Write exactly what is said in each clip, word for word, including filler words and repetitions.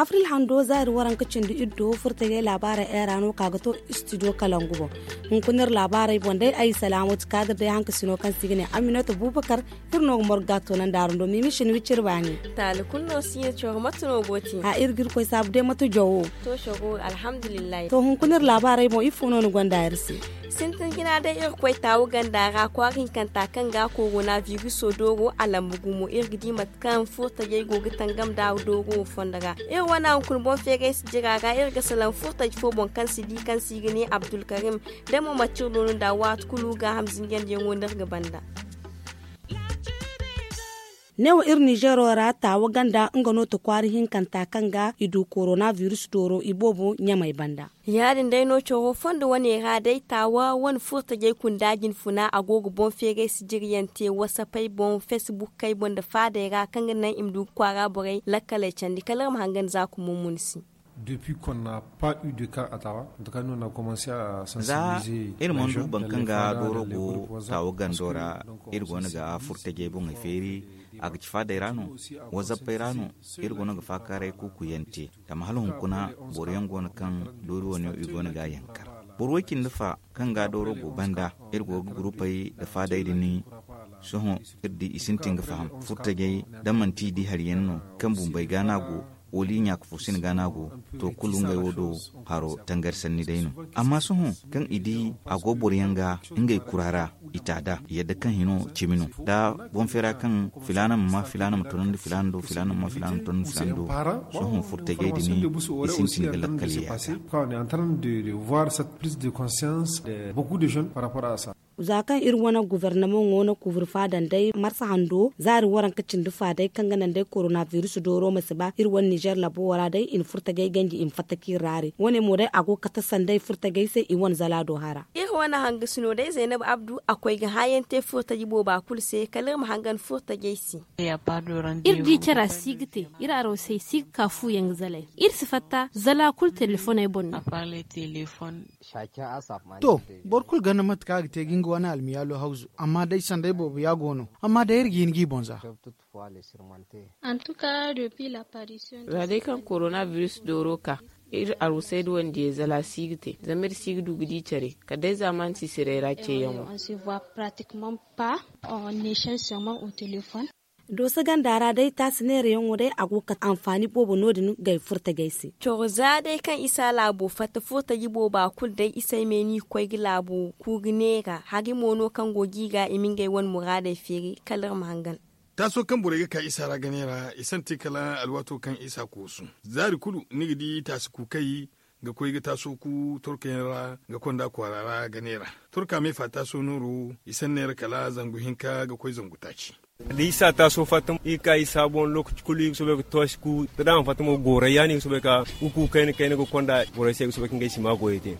Firil hando zaari waranka cindi iddo furtajey laabaarey era no ka ga to istidiyo kalangu boŋ. Hunkuna iri laabaarey boŋ day ay salaamatu kaadir day hankasino kaŋ se i ga ne aminata bubakar. Iri no ga morga toonandi araŋ do miimi shin wiciri baani. Taali kulu no si iri coro mate no go te? A iri ga iri koy saabu day mate jawo. To coro alhamdulillahi. To hunkuna iri laabaarey boŋ ifo no ni gonda iri se? Sintin jina day iri koy taawu ganda ra kwaara hinkanta kaŋ ga korona viruso dooro a lambu gumo iri ga di mate kaŋ furtajey go ga tangam da dooro wo fondo ra. Iri wane hunkuna boŋ feeray si jira ra iri ga salaŋ furtaji fo boŋ kaŋ si di kaŋ se i ga ne abdulkarim. Da mo manti iri no no nda waati kulu gaaham zinjandiyaŋo no iri ga banda. Neewo iri nizeero ra taawa ganda nga no ti kwaara hinkanta kaŋ ga i du korona virus dooro iboobo ɲamey banda. Ya- din day no coro fondo wane ra day taawa wane furtajey kunda jinfuna a go ga boŋ feeray sijiriyaŋ te wasapey boŋ fesbukkey boŋ nda faadey ra kaŋ ga naŋ i ma du ga kwaara borey lakkaley candi kala iri ma hangan za kumo munsi. Depuis qu'on n'a pas eu de cas à Tawa, en tout cas nous on a commencé à sensibiliser les jeunes dans les fadas, dans les groupes WhatsApp. Za iri mana du boro kaŋ ga dooro go taawa gando ra, iri go no ga furtajey boŋey feeri. A ga ci faadey ra no, wazappey ra no, iri go no ga faakaaray kuukuyaŋ te. Zama hala hunkuna boro yaŋ go no kaŋ doori wane i go no ga a yankar. Boro way cindi fa kaŋ ga dooro go banda, iri go ga gurupey nda faadey din. Sohõ iri di i sintin ga faham furtajey da manti i di hari yaŋ no kaŋ bumbey ga no a go, wala i ɲaaka fo sina ga no a go. To kulu ngey wo do haro tangari sanni day no. Amma sohõ kaŋ i di a go boro yaŋ ga ngey kura ra, i ta da i yadda kaŋ hino cimi no da boŋ feera kaŋ filaana ma ma filaana ma tonandi filaana do filaana ma ma filaana ma tonandi filaana do. Sohõ furtajey din i sintin ga lakkal yaasa. Quand on est en train de voir cette prise de conscience de beaucoup de jeunes par rapport à ça. Za kaŋ iri wane guvernamoŋo na kuubri faadan day marsa hando zaari waranka cindi fa day kaŋ ga naŋ day korona virus dooro ma si ba iri wane nizer labo wo ra day i na furtajey ganji i ma fatta kaŋ iri raari wane mo day a go ga kate sanday furtajey se i wane zala do hara. Iri wane hangasino day zaynab abdu a koy ga haayaŋ te furtaji booba kulu se kala iri ma hangan furtajey se. Iri di cara si ga te, iri arosey si ga ka fuuyaŋ ga zalay. Iri si fatta zala kulu telefoney boŋ no. To, boro kulu ganda mate kaŋ a ga te ga nga wane almiyaalo hawzu amma day sanday boobo ya go no. Amma day iri ga hin g'i boŋ za. Za day kaŋ korona virus dooro ka, iri arusay da wandiyey zala si ga te zama iri si ga du ga di care kala day zaamaani sisiray ra ceeyaŋo. Dooso ganda ra day taasi neerayaŋo day a go ga kate anfaani boobo no- din gay furtajey se. Coro za day kaŋ isa laabo fatta furtaji booba kulu day isay me ni ga koy ga laabo ku ga neera hari mo no kaŋ go ga i ga i ma ngey wane muraadey feeri kala iri ma hangan. Taaso kaŋ borey ga ka isa ra ga neera i santi kala alwaato kaŋ isa koosu. Zaari kulu ni ga di taasi kuukey ga koy ga taaso ku torkayaŋ ra ga konda kwaara ra ga neera. Torka me fa taaso nooro i sanneera kala zangu hinka ga koy zangu taaci. Da isa taaso fatta i ga ka isa boŋ lokaci kulu i ga soobay ga toosi ku da dama fatta mo goorey ya no i ga soobay ka ga ku kayna kayna ga konda borey se i ga soobay ka ngey sima goyey te.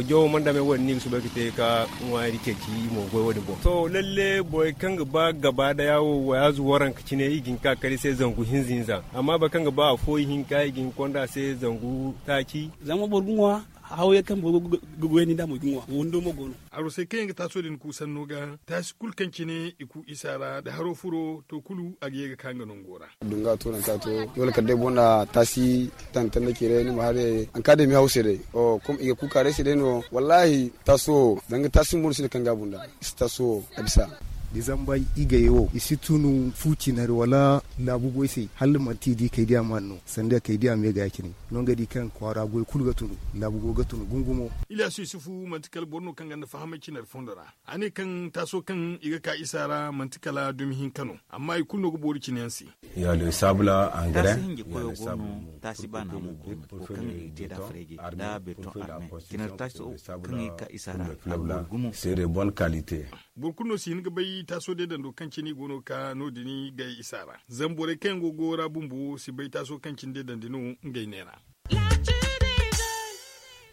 Jawo mana dame wo- din no i ga soobay ka te ka ŋwaari ceeci i mo goy wo- din boŋ to lalle borey kaŋ ga ba gaba daya wo wayaazu waranka cine i ga hin ka kala i se zangu hinza hinza. Amma boro kaŋ ga ba afo ihinka i ga hin konda a se zangu taaci. Zama boro ga ŋwa hawyaŋ kaŋ boro ga goyandi nd'a mo i ga ŋwa wando mo go no. Arosey kaŋ yaŋ ga taaso din ku sanno ga taasi kulu kaŋ cine i ku isa ra nda haro furo to kulu a ga ye ga ka nga nango ra. Dunga to nanka to, dole kala day boro na taasi tantanda cire ni ma hare hanka day mi hawse day. Kom i ga kuka day se day no wallahi. Taasi wo danga taasi mo no sinda kaŋ ga bunda. I si taasi wo a bisa. Da i zamba i ga ye wo i si tunu fu cinari wala laabu goy se hala manti i di kay diya ma no sanda kay diya me ga ya cine. No nga di kaŋ kwaara goy kulu ga tunu laabu go ga tunu gungumo. Iliyasu yusufu manti kala boro no kaŋ ganda fahamay cinari fondo ra. A ne kaŋ taaso kaŋ i ga ka isa ra manti kala dumi hinka no. Amma i kulu no ga boori cine yaŋ se. Ya le sabula angare taasi hinje koyo go no. Taasi baana mo go no wo kaŋ i ga te da freje da beton arme. Cinari taaso kaŋ i ga ka isa ra a go gumo. Sere bon kalite. Boro kulu no si hin ga bay taaso deedando kaŋ cine i go no ga ka no- din gay isa ra. Zama borey kaŋ yaŋ go ga go ra bumbo si bay taaso kaŋ cine deedandi no ngey neera.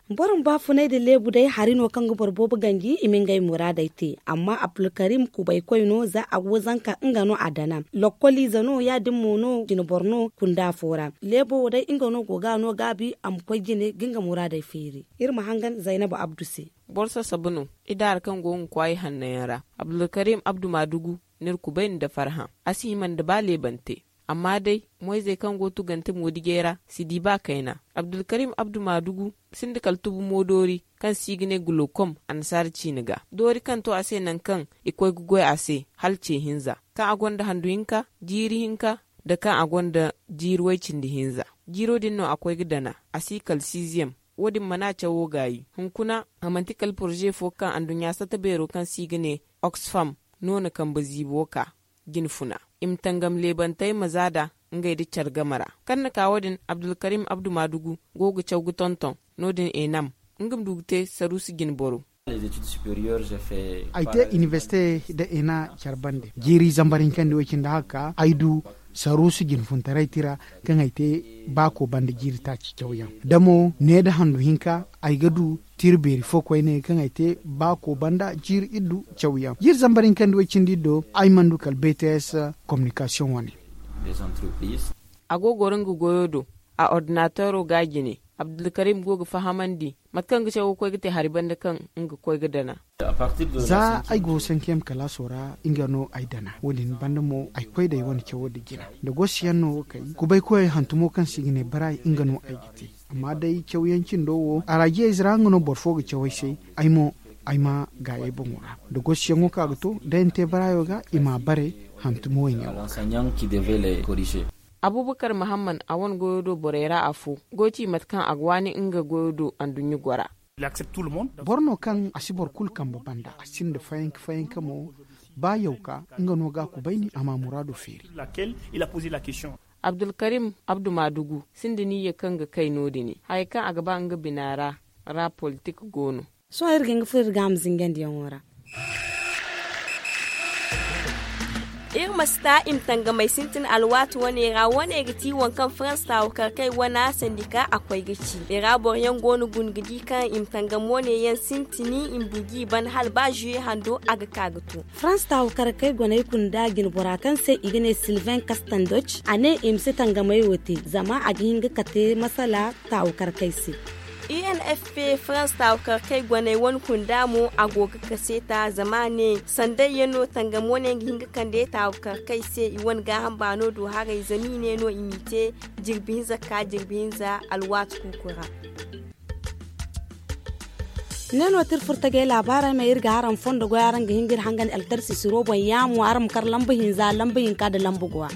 Boro ma baafunay nda leebu day hari no kaŋ ga boro boobo ganji i ma ngey muraadey te. Amma abdulkarim kubaykoy no za a go ga zanka nga no a dana. Lokkoliize no ya- din mo no jineboro no kunda fo ra. Leebo wo day nga no go ga a no gaabi a ma koy jine ga nga muraadey feeri. Iri ma hangan zaynab abdu se. Boro sasabu no. Idaara kaŋ go ga kwaay hanno yaŋ ra abdulkarim abdu maadugu. N'iri kubay nda farhã a si hima nda ba leebante. Amma day, moyzey kaŋ go tugante moodijey ra si di ba kayna. Abdulkarim abdu maadugu sinda kala tubu moodoori kaŋ se i ga ne gulookom annasaara ciine ga. Doori kaŋ to a se nangu kaŋ i koy ga goy a se hala ce hinza, kaŋ a gonda handu hinka, jiiri hinka, nda kaŋ a gonda jiiri way-cindi hinza. Jiiro din no a koy ga dana. A si kala siiziyem. Wo- din mana cawo gaayi. Hunkuna, a manti kala poroze fo kaŋ anduɲɲa sata beero kaŋ se i ga ne oxfam no na kambe ziibo ka jine funa. I ma tangam leebantey ma za nd'a ngey nda care game ra. Kaŋ na ka wo- din, abdulkarim abdu maadugu go ga caw ga tonton. No- din enam, nga ma du ga te saruusi jine boro. Ay te inibersite nda ena care bande jiiri zambar hinkandi way-cindi haka ay du saruusu jinfuntaray tira kaŋ ay te baako banda jiiri taaci cawyaŋ. Da mo ne nda handu hinka, ay ga du tira beeri fo koyne kaŋ ay te baako banda jiiri iddu cawyaŋ. Jiiri zambar hinkandi way-cindi iddo ay mana du kala bts kominikasiyoŋ wane. A go ga goro nga goyo do. A ordinateero ga a jine. Abdulkarim go ga fahamandi mate kaŋ ga cawo ga koy ga te hari banda kaŋ nga ga koy ga dana. Za ay go sankem kalaaso ra, nga no ay dana. Wo- din banda mo ay koy da ay wane cawo nda jina nda gosi yaŋ no wo kay. Kubaykoyey hantumo kaŋ se i ga ne baraay, nga no ay ga te. Amma day cawyaŋ cindo wo, araajiyey zira nga no boro fo ga caw ay se. Ay mo, ay ma gaayey boŋo ra. Nda gosi yaŋo kaŋ a ga to day ni te baraayo ga, i ma a bare hantumo wo i ne wo. Abubakar mahamman a wane goyo do borey ra afo, goy ci mate kaŋ a ga waani nga goyo do anduɲɲa gora. Boro no kaŋ a si boro kulu kambe banda, a sinda fayanka fayanka mo. Ba yawka, nga no ga a kubayni a ma a muraado feeri. Abdulkarim abdu maadugu sinda niyya kaŋ ga kay no- din. Hayey kaŋ a ga ba nga bina ra, ra politik go no. Sohõ iri ga hin ga furo iri ga a ma zingandiyaŋo ra. Iri ma si ta i ma tangamey sintin alwaati wane ra. Wane ga ti waŋ kaŋ farans taawukarkey wana sandika a koy ga ci i ra boro yaŋ go no guna ga di kaŋ i ma tangam wane yaŋ sintini i ma buji i ban hala ba zuye hando a ga ka ga to. Farans taawukarkey goney kunda jinbora kaŋ se i ga ne silvain kastandoc a ne i ma si tangamey wo te zama a ga hin ga kate masala taawukarkey se. Unfp farans taawukarkey goney wane kunda mo a go ga kaseeta zama a ne sanday yaŋ no tangam wane ga hin ga kande taawukarkey se i wane gaaham baano do haray zama i ne no i m'i te jirbi hinza ka jirbi hinza alwaati kuuku ra. Ne no ti iri furtagey laabaarey ma iri ga araŋ fondo goy araŋ ga hin ga iri hangan altarsi siro boŋ yaamo araŋ ma kar lamba hinza lamba hinka nda lamba go a.